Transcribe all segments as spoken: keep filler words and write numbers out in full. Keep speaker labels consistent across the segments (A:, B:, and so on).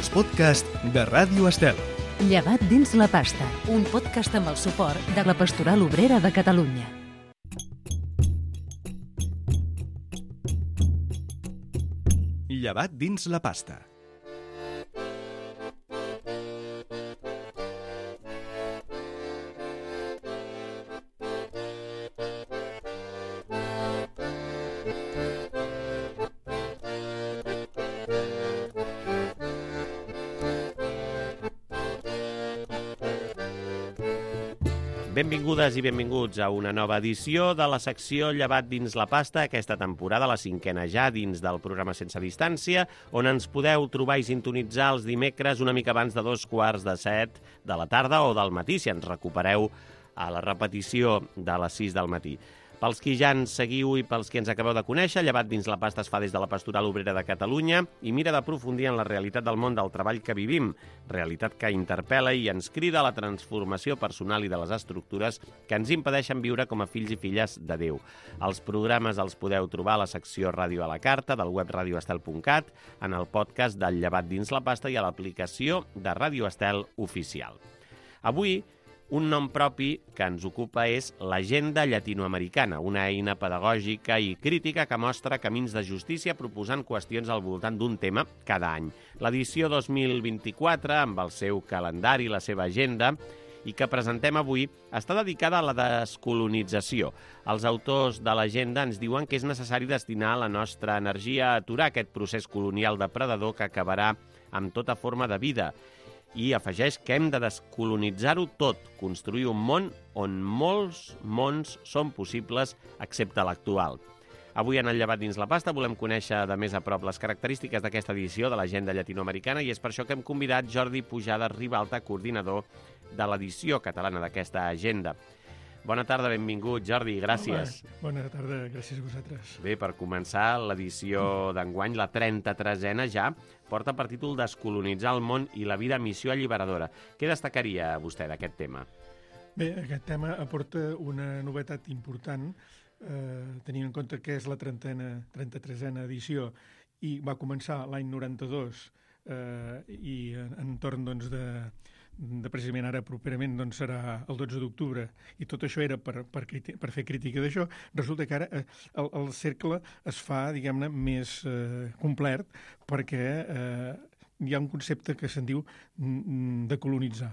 A: els podcasts de Ràdio Estel.
B: Llevat dins la pasta, un podcast amb el suport de la Pastoral Obrera de Catalunya.
A: Llevat dins la pasta.
C: Benvingudes i benvinguts a una nova edició de la secció Llevat dins la pasta, aquesta temporada, la cinquena ja, dins del programa Sense Distància, on ens podeu trobar i sintonitzar els dimecres una mica abans de dos quarts de set de la tarda o del matí, si ens recupereu a la repetició de les sis del matí. Pels qui ja ens seguiu i pels qui ens acabeu de conèixer, Llevat dins la pasta es fa des de la Pastoral Obrera de Catalunya i mira d'aprofundir en la realitat del món del treball que vivim, realitat que interpel·la i ens crida a la transformació personal i de les estructures que ens impedeixen viure com a fills i filles de Déu. Els programes els podeu trobar a la secció Ràdio a la Carta del web radio estel punt cat, en el podcast del Llevat dins la pasta i a l'aplicació de Ràdio Estel oficial. Avui, un nom propi que ens ocupa és l'Agenda Llatinoamericana, una eina pedagògica i crítica que mostra camins de justícia proposant qüestions al voltant d'un tema cada any. L'edició dos mil vint-i-quatre, amb el seu calendari, la seva agenda, i que presentem avui, està dedicada a la descolonització. Els autors de l'agenda ens diuen que és necessari destinar la nostra energia a aturar aquest procés colonial depredador que acabarà amb tota forma de vida. I afegeix que hem de descolonitzar-ho tot, construir un món on molts mons són possibles, excepte l'actual. Avui en el Llevat dins la pasta volem conèixer de més a prop les característiques d'aquesta edició de l'Agenda Llatinoamericana i és per això que hem convidat Jordi Pujades Ribalta, coordinador de l'edició catalana d'aquesta agenda. Bona tarda, benvingut, Jordi, gràcies.
D: Home, bona tarda, gràcies a vosaltres.
C: Bé, per començar, l'edició d'enguany, la trenta-tresena ja, porta per títol Descolonitzar el món i la vida missió alliberadora. Què destacaria vostè d'aquest tema?
D: Bé, aquest tema aporta una novetat important, eh, tenint en compte que és la trenta-tresena edició i va començar l'any noranta-dos eh, i entorn doncs, de... de precisament ara properament doncs, serà el dotze d'octubre i tot això era per, per, per fer crítica d'això, resulta que ara eh, el, el cercle es fa, diguem-ne, més eh, complet perquè eh, hi ha un concepte que se'n diu de colonitzar,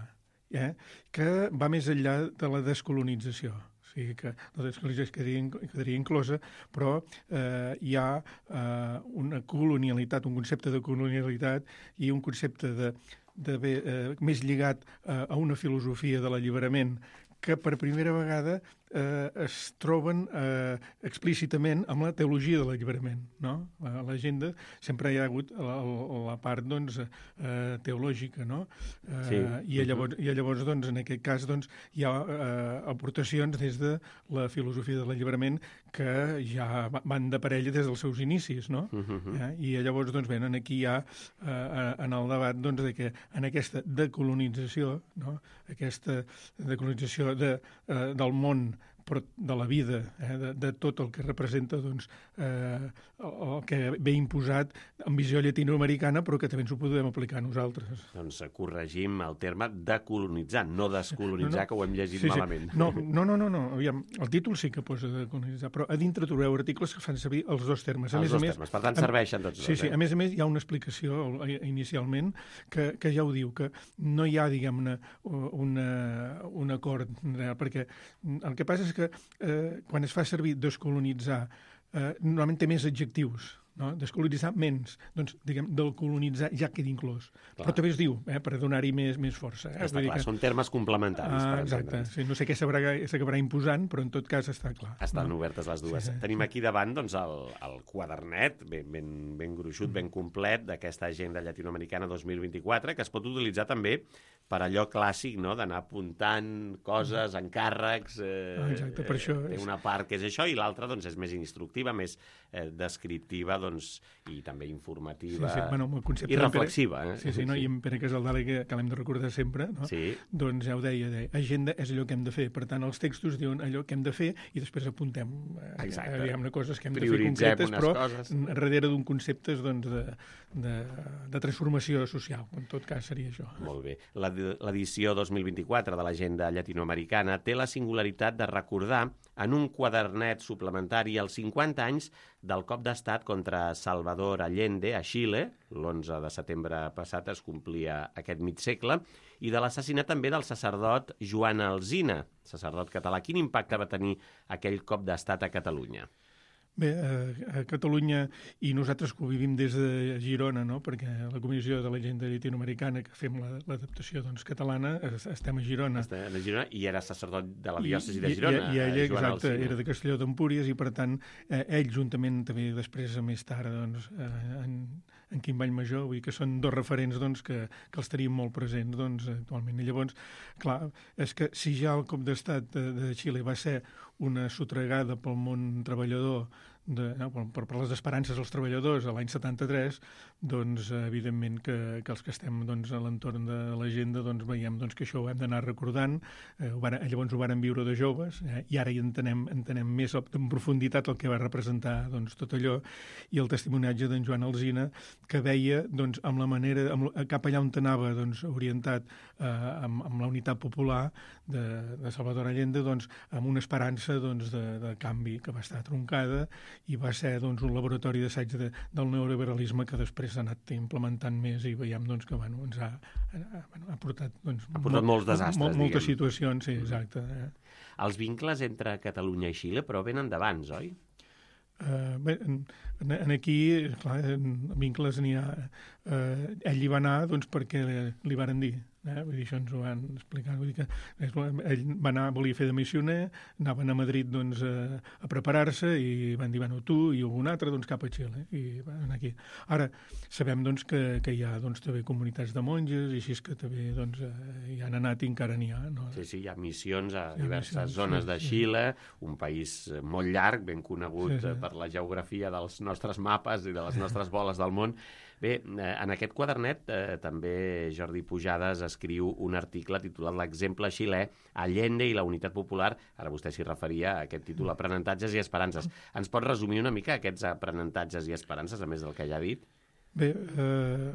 D: eh, que va més enllà de la descolonització. O sigui que la descolonització quedaria, quedaria inclosa, però eh, hi ha eh, una colonialitat, un concepte de colonialitat i un concepte de de bé, eh, més lligat eh, a una filosofia de l'alliberament que per primera vegada eh, es troben eh, explícitament amb la teologia de l'alliberament, no? A l'agenda sempre hi ha hagut la, la part doncs, eh, teològica, no? Eh,
C: sí.
D: I llavors, i llavors doncs, en aquest cas doncs, hi ha eh, aportacions des de la filosofia de l'alliberament que ja van de parella des dels seus inicis, no? Uh-huh. eh? I llavors doncs, venen aquí ja eh, en el debat doncs, de que en aquesta decolonització, no? Aquesta decolonització de, eh, del món però de la vida, eh, de, de tot el que representa doncs, eh, el que ve imposat en visió llatinoamericana, però que també ens ho podem aplicar a nosaltres.
C: Doncs corregim el terme decolonitzar, no descolonitzar, no, no. Que ho hem llegit
D: sí, sí.
C: malament.
D: No, no, no, no, no. Aviam, el títol sí que posa decolonitzar, però a dintre trobeu articles que fan servir els dos termes. A
C: els
D: més,
C: dos
D: a més,
C: termes, per tant serveixen tots
D: sí,
C: dos.
D: Sí,
C: eh?
D: a més a més hi ha una explicació inicialment que, que ja ho diu, que no hi ha, diguem-ne, una, un acord real, perquè el que passa és que eh, quan es fa servir descolonitzar, eh, normalment té més adjectius, no? Descolonitzar menys, doncs, diguem, del colonitzar ja queda inclòs. Clar. Però també es diu, eh, per donar-hi més, més força. Eh?
C: Està clar, que... són termes complementaris.
D: Ah,
C: per
D: exacte, sí, no sé què s'acabarà imposant, però en tot cas està clar.
C: Estan
D: no?
C: obertes les dues. Sí, sí. Tenim aquí davant doncs, el, el quadernet ben, ben, ben gruixut, mm. ben complet d'aquesta agenda llatinoamericana dos mil vint-i-quatre, que es pot utilitzar també per allò clàssic, no?, d'anar apuntant coses, encàrrecs... Eh,
D: ah, exacte, per això...
C: Té una part que és això i l'altra doncs, és més instructiva, més eh, descriptiva doncs, doncs, i també informativa
D: sí, sí, bueno, el concepte
C: i reflexiva. Eh?
D: Sí, sí, no? I en Pere Casaldala, que, que l'hem de recordar sempre, no?
C: Sí.
D: Doncs ja ho deia, deia, agenda és allò que hem de fer. Per tant, els textos diuen allò que hem de fer i després apuntem eh, diguem-ne coses que hem de fer concretes, però coses. Darrere d'un concepte doncs, de, de, de transformació social. En tot cas seria això.
C: Molt bé. L'edició dos mil vint-i-quatre de l'Agenda Llatinoamericana té la singularitat de recordar en un quadernet suplementari els cinquanta anys del cop d'estat contra Salvador Allende a Xile, l'onze de setembre passat es complia aquest mig segle, i de l'assassinat també del sacerdot Joan Alsina, sacerdot català. Quin impacte va tenir aquell cop d'estat a Catalunya?
D: Bé, a Catalunya, i nosaltres que ho vivim des de Girona, no? Perquè la Comissió de l'Agenda Llatinoamericana, que fem l'adaptació doncs, catalana, estem a Girona.
C: Estem a Girona i era sacerdot de la diòcesi de Girona.
D: I, i, i ell, exacte, era de Castelló d'Empúries i, per tant, eh, ell, juntament també després, més tard, doncs, eh, en, en Quim Vallmajor, vull dir que són dos referents doncs, que, que els tenim molt presents doncs, actualment. I llavors, clar, és que si ja el cop d'estat de, de Xile va ser una sotregada pel món treballador, de, no, per, per les esperances dels treballadors a l'any setanta-tres, doncs evidentment que, que els que estem doncs, a l'entorn de l'agenda doncs, veiem doncs, que això ho hem d'anar recordant, eh, ho van, llavors ho varen viure de joves, eh, i ara hi entenem, entenem més en profunditat el que va representar doncs, tot allò, i el testimoniatge d'en Joan Alsina, que veia doncs, amb la manera, amb, cap allà on anava doncs, orientat eh, amb, amb la unitat popular de, de Salvador Allende, doncs, amb una esperança doncs, de, de canvi que va estar troncada, i va ser doncs, un laboratori d'assaig de, del neoliberalisme que després s'ha anat implementant més i veiem doncs, que bueno, ens ha, ha, ha portat, doncs,
C: ha portat molts desastres,
D: mol, moltes situacions, sí, exacte. Eh.
C: Els vincles entre Catalunya i Xile però venen d'abans, oi?
D: Uh, bé, en, en aquí, clar, en vincles n'hi ha. Uh, ell hi va anar doncs, perquè li varen dir. Eh? Vull dir, això ens ho van explicar. Vull dir que ell va anar, volia fer de missioner, anaven a Madrid doncs, a, a preparar-se i van dir, bueno, tu i algun altre doncs, cap a Xile. I van aquí. Ara, sabem doncs, que, que hi ha doncs, també comunitats de monges i així és que també doncs, hi han anat i encara n'hi ha. No?
C: Sí, sí, hi ha missions a
D: ha
C: diverses
D: missions,
C: zones
D: sí,
C: de
D: sí.
C: Xile, un país molt llarg, ben conegut sí, sí. per la geografia dels nostres mapes i de les nostres boles del món. Bé, en aquest quadernet eh, també Jordi Pujades escriu un article titulat L'exemple xilè, Allende i la unitat popular. Ara vostè s'hi referia a aquest títol, Aprenentatges i esperances. Ens pot resumir una mica aquests aprenentatges i esperances, a més del que ja ha dit?
D: Bé, eh...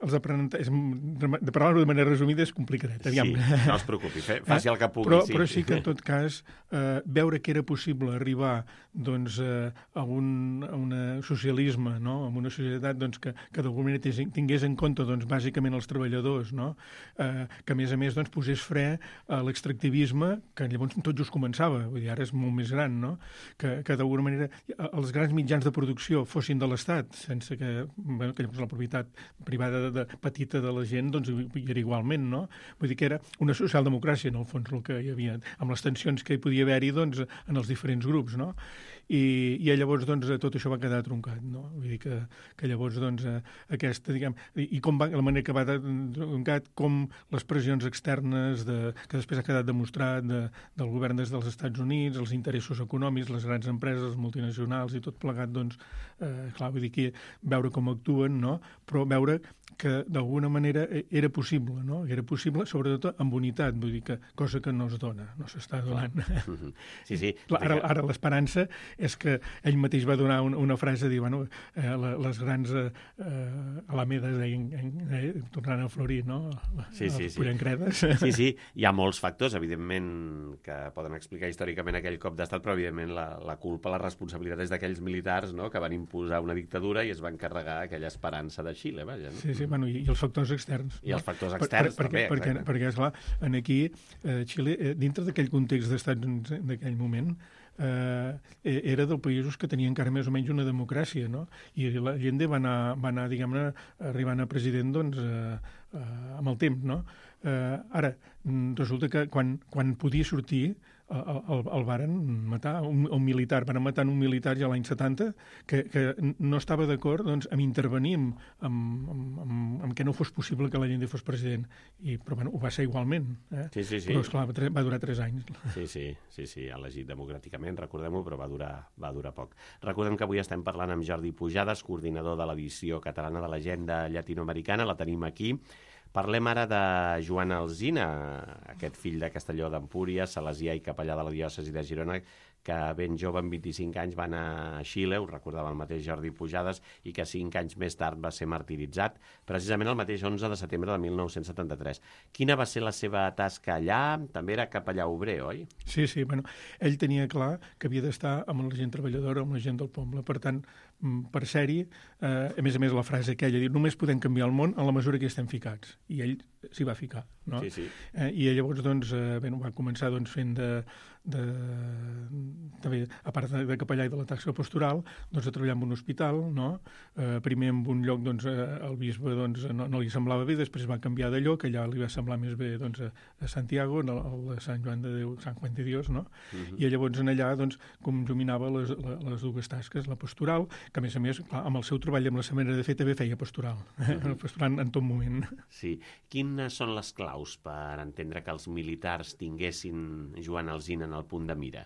D: els aprenentatges, de parlar-ho de manera resumida és complicadet. Aviam.
C: Sí, no es preocupi, faci el que pugui.
D: Però,
C: sí.
D: però sí que, en tot cas, eh, veure que era possible arribar doncs, eh, a un a una socialisme, no? A una societat doncs, que, que d'alguna manera tingués en compte doncs, bàsicament els treballadors, no? eh, que a més a més doncs, posés fre a l'extractivisme, que llavors tot just començava, vull dir, ara és molt més gran, no? que, que d'alguna manera els grans mitjans de producció fossin de l'Estat, sense que, bueno, que llavors la propietat privada de de petita de la gent, doncs hi era igualment, no? Vull dir que era una socialdemocràcia, en el fons, el que hi havia, amb les tensions que hi podia haver-hi, doncs, en els diferents grups, no? I, i llavors, doncs, tot això va quedar troncat, no? Vull dir que, que llavors, doncs, aquesta, diguem, i, i com va, la manera que va troncat, com les pressions externes, de, que després ha quedat demostrat de, del govern des dels Estats Units, els interessos econòmics, les grans empreses, les multinacionals i tot plegat, doncs, eh, clar, vull dir que veure com actuen, no? Però veure que d'alguna manera era possible, no? Era possible, sobretot amb unitat, vull dir que cosa que no es dona, no s'està donant.
C: Sí, sí.
D: Ara, ara l'esperança és que ell mateix va donar una, una frase, dir, bueno, eh, les grans eh, alamedes deien, eh, tornant a florir, no?
C: Sí, sí,
D: sí. Pollancredes.
C: Sí, sí, hi ha molts factors, evidentment, que poden explicar històricament aquell cop d'estat, però evidentment la, la culpa, la responsabilitat és d'aquells militars, no?, que van imposar una dictadura i es van carregar aquella esperança de Xile, vaja. No?
D: Sí, sí, bueno, i, i els factors externs.
C: I els factors externs,
D: per, per,
C: també,
D: perquè,
C: exacte.
D: Perquè, esclar, en aquí, eh, Xile, eh, dintre d'aquell context d'Estats Units d'aquell moment, eh, era dels països que tenien encara més o menys una democràcia, no? I la Allende va anar, va anar diguem-ne, arribant a president, doncs, eh, eh, amb el temps, no? Eh, ara, resulta que quan, quan podia sortir, el, el, el varen matar, un, un militar, van matar un militar ja l'any setanta que, que no estava d'acord doncs, amb intervenir amb, amb, amb, amb, amb que no fos possible que l'Allende fos president. I, però bueno, ho va ser igualment. Eh?
C: Sí, sí, sí.
D: Però, esclar, va, va durar tres anys.
C: Sí, sí, sí, sí, elegit democràticament, recordem-ho, però va durar, va durar poc. Recordem que avui estem parlant amb Jordi Pujades, coordinador de l'edició catalana de l'Agenda Llatinoamericana, la tenim aquí. Parlem ara de Joan Alsina, aquest fill de Castelló d'Empúries, salesià i capellà de la diòcesi de Girona, que ben jove, amb vint-i-cinc anys, va anar a Xile, ho recordava el mateix Jordi Pujades, i que cinc anys més tard va ser martiritzat, precisament el mateix onze de setembre de mil nou-cents setanta-tres. Quina va ser la seva tasca allà? També era capellà obrer, oi?
D: Sí, sí, bueno, ell tenia clar que havia d'estar amb la gent treballadora, amb la gent del poble. Per tant, per ser-hi, eh, a més a més la frase aquella, diu, només podem canviar el món en la mesura que hi estem ficats. I ell s'hi va ficar, no?
C: Sí, sí.
D: Eh, I llavors, doncs, eh, bé, va començar doncs, fent de, de, també, a part de, de capellà i de la tasca pastoral, doncs, a treballar en un hospital, no? Eh, primer en un lloc, doncs, el bisbe doncs, no, no li semblava bé, després va canviar de lloc, allà li va semblar més bé doncs, a, a Santiago, el, el Sant Joan de Déu, Sant Juan de Dios, no? Uh-huh. I llavors en allà, doncs, conjuminava les, les dues tasques, la pastoral, que a més a més, clar, amb el seu treball i amb la seva manera de fer també feia pastoral, eh? Uh-huh. Pastoral en tot moment.
C: Sí. Quines són les claus per entendre que els militars tinguessin Joan Alsina en el punt de mira?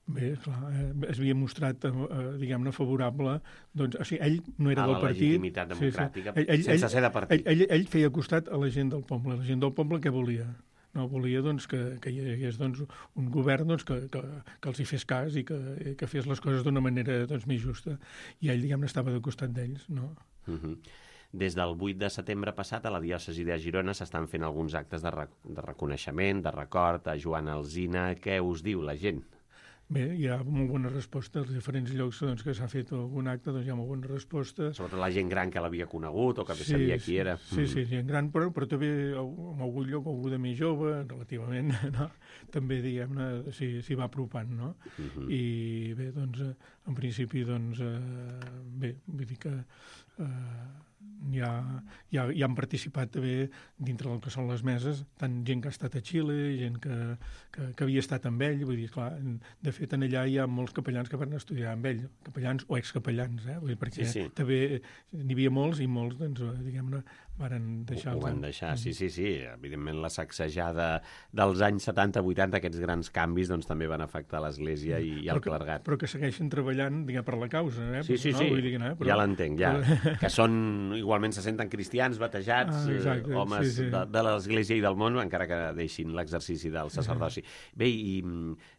D: Bé, clar, eh, es havia mostrat, eh, diguem-ne, favorable, doncs, o sigui, ell no era
C: a
D: del partit.
C: A la legitimitat democràtica,
D: sí, sí. Ell, ell,
C: sense ser de partit.
D: Ell, ell, ell feia costat a la gent del poble. La gent del poble què volia? No volia doncs, que, que hi hagués doncs, un govern doncs, que, que, que els hi fes cas i que, que fes les coses d'una manera doncs, més justa. I ell, diguem-ne, estava de costat d'ells, no?
C: Uh-huh. Des del vuit de setembre passat a la diòcesi de Girona s'estan fent alguns actes de, rec de reconeixement, de record a Joan Alsina. Què us diu la gent?
D: Bé, hi ha molt bona resposta als diferents llocs doncs, que s'ha fet algun acte, doncs hi ha molt bona resposta.
C: Sobretot la gent gran que l'havia conegut o que
D: sí,
C: sabia qui era.
D: Sí, sí, gent gran, però, però també en algun lloc algú de més jove, relativament, no? També, diguem-ne, s'hi va apropant, no? Uh-huh. I bé, doncs, en principi, doncs, eh, bé, vull dir que eh, hi ha, hi, ha, hi han participat també dintre del que són les meses, tant gent que ha estat a Xile, gent que, que, que havia estat amb ell, vull dir, clar, de fet, en allà hi ha molts capellans que van estudiar amb ell, capellans o excapellans, eh? Vull dir, perquè sí, sí. També n'hi havia molts i molts, doncs, diguem-ne, varen deixar...
C: Ho van deixar, sí, sí, sí. Evidentment, la sacsejada dels anys setanta vuitanta, aquests grans canvis, doncs també van afectar l'Església i, i el
D: que,
C: clergat.
D: Però que segueixen treballant, diguem, per la causa, eh?
C: Sí, sí,
D: no?
C: sí,
D: Vull dir que no, però...
C: ja l'entenc, ja. Que són, igualment se senten cristians, batejats, ah, exacte, eh, homes sí, sí. de, de l'Església i del món, encara que deixin l'exercici del sacerdoci. Bé, i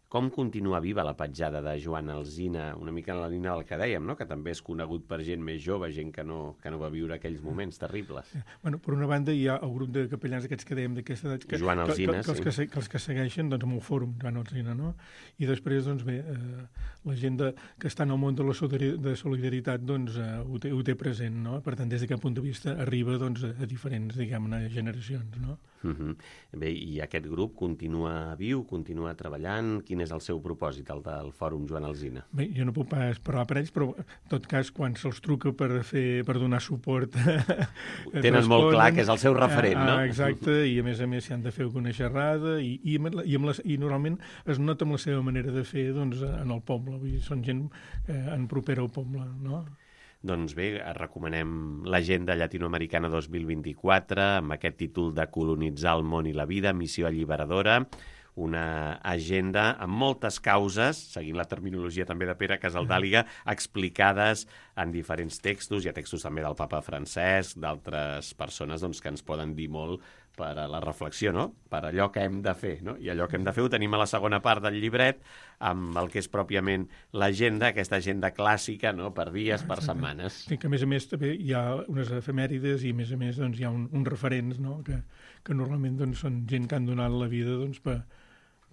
C: com continua viva la petjada de Joan Alsina, una mica en la línia del que dèiem, no? Que també és conegut per gent més jove, gent que no, que no va viure aquells moments terribles.
D: Sí. Bueno, per una banda hi ha el grup de capellans aquests que dèiem d'aquesta edat, que,
C: Joan Alsina,
D: que, que, que,
C: sí.
D: que, que els que segueixen doncs, amb el fòrum Joan Alsina, no? I després, doncs bé, eh, la gent de, que està en el món de la de solidaritat doncs, eh, ho, té, ho té present, no? Per tant, des d'aquest punt de vista arriba doncs, a diferents, diguem-ne, generacions, no?
C: Uh-huh. Bé, i aquest grup continua viu, continua treballant? Quin és el seu propòsit, el del Fòrum Joan Alsina?
D: Bé, jo no puc pas parlar per ells, però en tot cas, quan se'ls truca per, fer, per donar suport...
C: Tenen molt clar que és el seu referent, no?
D: Exacte, i a més a més s'hi han de fer alguna xerrada i, i, i, amb les, i normalment es nota amb la seva manera de fer doncs, en el poble, vull dir, són gent eh, en propera al poble, no?
C: Doncs bé, recomanem l'Agenda Llatinoamericana dos mil vint-i-quatre amb aquest títol de Colonitzar el món i la vida, missió alliberadora, una agenda amb moltes causes, seguint la terminologia també de Pere Casaldàliga, explicades en diferents textos. Hi ha textos també del papa Francesc, d'altres persones doncs, que ens poden dir molt per a la reflexió, no? Per allò que hem de fer, no? I allò que hem de fer ho tenim a la segona part del llibret, amb el que és pròpiament l'agenda, aquesta agenda clàssica, no? Per dies, per setmanes.
D: Sí, que a més a més també hi ha unes efemèrides i a més a més doncs, hi ha un, uns referents, no? que, que normalment doncs, són gent que han donat la vida doncs, per,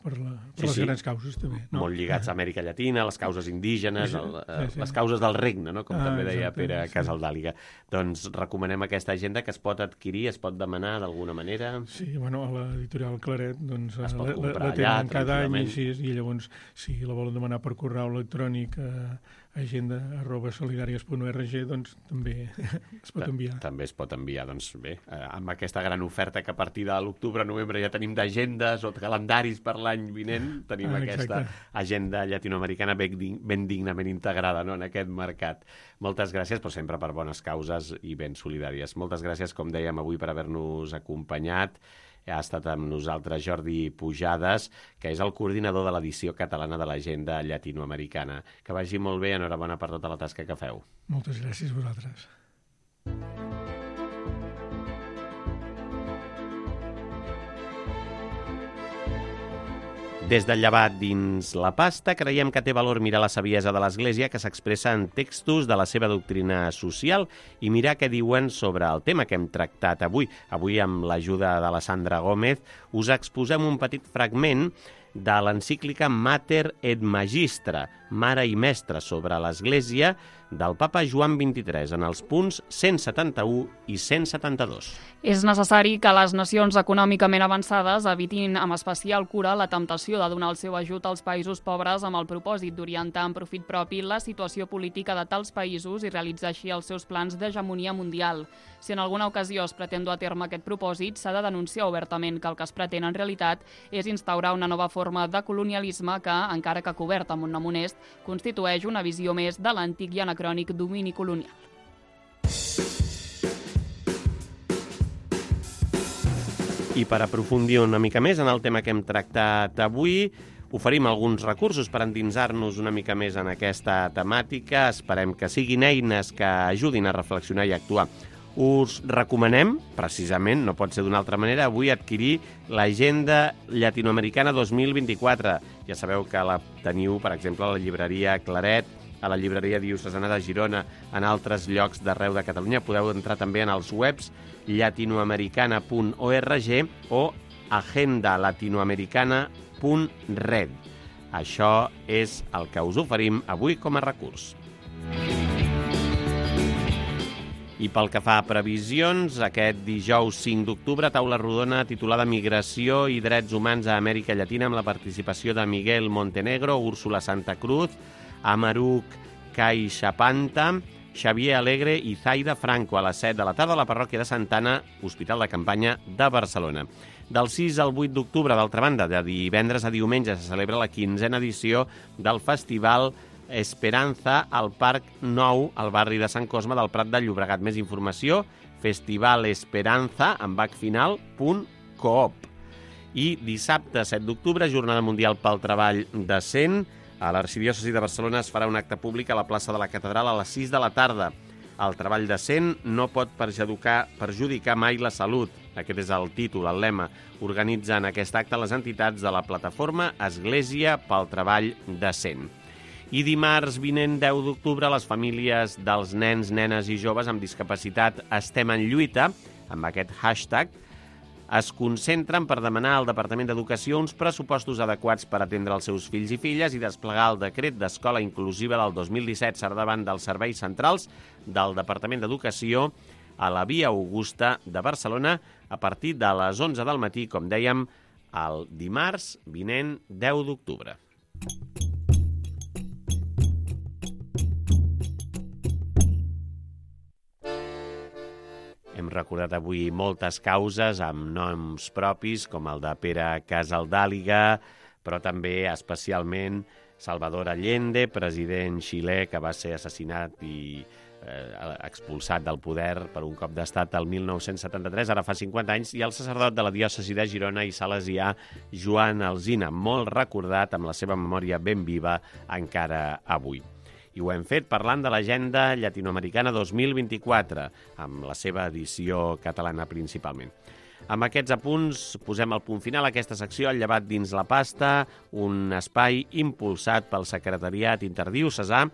D: per, la, per sí, les sí. grans causes també. No?
C: Molt lligats a Amèrica Llatina, les causes indígenes,
D: sí,
C: el,
D: sí, sí.
C: les causes del regne, no? Com
D: ah,
C: també deia
D: exacte,
C: Pere
D: sí.
C: Casaldàliga. Doncs recomanem aquesta agenda que es pot adquirir, es pot demanar d'alguna manera.
D: Sí, bueno, a l'editorial Claret doncs,
C: es pot
D: la,
C: comprar
D: la tenen
C: allà,
D: cada any i, així, i llavors si la volen demanar per correu electrònic a, agenda arroba solidàries punt org, doncs també es pot enviar.
C: També es pot enviar, doncs bé, amb aquesta gran oferta que a partir de l'octubre-novembre ja tenim d'agendes o de calendaris per l'any vinent, tenim ah, aquesta agenda llatinoamericana ben, ben dignament integrada, no?, en aquest mercat. Moltes gràcies, però sempre per bones causes i ben solidàries. Moltes gràcies, com dèiem avui, per haver-nos acompanyat. Ha estat amb nosaltres Jordi Pujades, que és el coordinador de l'edició catalana de l'Agenda Llatinoamericana. Que vagi molt bé, enhorabona per tota la tasca que feu.
D: Moltes gràcies a vosaltres.
C: Des del llevat dins la pasta, creiem que té valor mirar la saviesa de l'Església que s'expressa en textos de la seva doctrina social i mirar què diuen sobre el tema que hem tractat avui. Avui, amb l'ajuda de la Sandra Gómez, us exposem un petit fragment de l'encíclica Mater et Magistra, Mare i Mestre sobre l'Església, del papa Joan vint-i-tres, en els punts cent setanta-u i cent setanta-dos.
E: És necessari que les nacions econòmicament avançades evitin amb especial cura la temptació de donar el seu ajut als països pobres amb el propòsit d'orientar en profit propi la situació política de tals països i realitzar així els seus plans d'hegemonia mundial. Si en alguna ocasió es pretén dur a terme aquest propòsit, s'ha de denunciar obertament que el que es pretén en realitat és instaurar una nova forma de colonialisme que, encara que coberta amb un nom honest, constitueix una visió més de l'antic i anacrònic domini colonial.
C: I per aprofundir una mica més en el tema que hem tractat avui, oferim alguns recursos per endinsar-nos una mica més en aquesta temàtica. Esperem que siguin eines que ajudin a reflexionar i actuar. Us recomanem, precisament, no pot ser d'una altra manera, avui adquirir l'Agenda Llatinoamericana dos mil vint-i-quatre. Ja sabeu que la teniu, per exemple, a la llibreria Claret, a la llibreria diocesana de Girona, en altres llocs d'arreu de Catalunya. Podeu entrar també en els webs llatinoamericana punt org o agenda latinoamericana punt red. Això és el que us oferim avui com a recurs. I pel que fa a previsions, aquest dijous cinc d'octubre, taula rodona titulada Migració i drets humans a Amèrica Llatina amb la participació de Miguel Montenegro, Úrsula Santa Cruz, Amaruk Caixapanta, Xavier Alegre i Zaida Franco a les set de la tarda a la parròquia de Santana, Hospital de Campanya de Barcelona. Del sis al vuit d'octubre, d'altra banda, de divendres a diumenge, se celebra la quinzena edició del Festival Esperanza al Parc Nou, al barri de Sant Cosme del Prat de Llobregat. Més informació, festivalesperanza, amb hac final, punt coop. I dissabte, set d'octubre, Jornada Mundial pel Treball Decent. A l'Arxidiòcesi de Barcelona es farà un acte públic a la plaça de la Catedral a les sis de la tarda. El treball decent no pot perjudicar, perjudicar mai la salut. Aquest és el títol, el lema. Organitzen aquest acte les entitats de la plataforma Església pel Treball Decent. I dimarts vinent, deu d'octubre, les famílies dels nens, nenes i joves amb discapacitat estem en lluita, amb aquest hashtag, es concentren per demanar al Departament d'Educació uns pressupostos adequats per atendre els seus fills i filles i desplegar el decret d'Escola Inclusiva del dos mil disset per davant dels serveis centrals del Departament d'Educació a la Via Augusta de Barcelona a partir de les onze del matí, com dèiem, el dimarts vinent, deu d'octubre. Hem recordat avui moltes causes amb noms propis, com el de Pere Casaldàliga, però també especialment Salvador Allende, president xilè que va ser assassinat i eh, expulsat del poder per un cop d'estat el mil nou-cents setanta-tres, ara fa cinquanta anys, i el sacerdot de la diòcesi de Girona i salesià Joan Alsina, molt recordat amb la seva memòria ben viva encara avui. I ho hem fet parlant de l'Agenda Llatinoamericana dos mil vint-i-quatre, amb la seva edició catalana principalment. Amb aquests apunts posem el punt final a aquesta secció, el llevat dins la pasta, un espai impulsat pel Secretariat Interdiocesà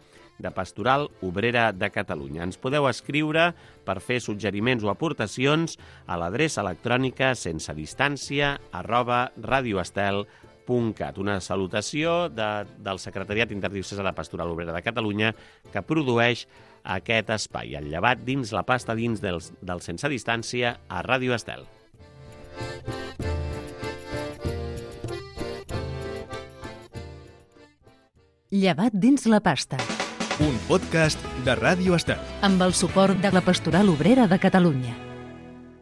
C: de Pastoral Obrera de Catalunya. Ens podeu escriure per fer suggeriments o aportacions a l'adreça electrònica sense distància arroba radioestel punt cat. Una salutació de, del Secretariat Interdiocesà de Pastoral Obrera de Catalunya que produeix aquest espai, el llevat dins la pasta dins del, del sense distància a Ràdio Estel.
B: Llevat dins la pasta.
A: un podcast de Ràdio Estel.
B: Amb el suport de la Pastoral Obrera de Catalunya.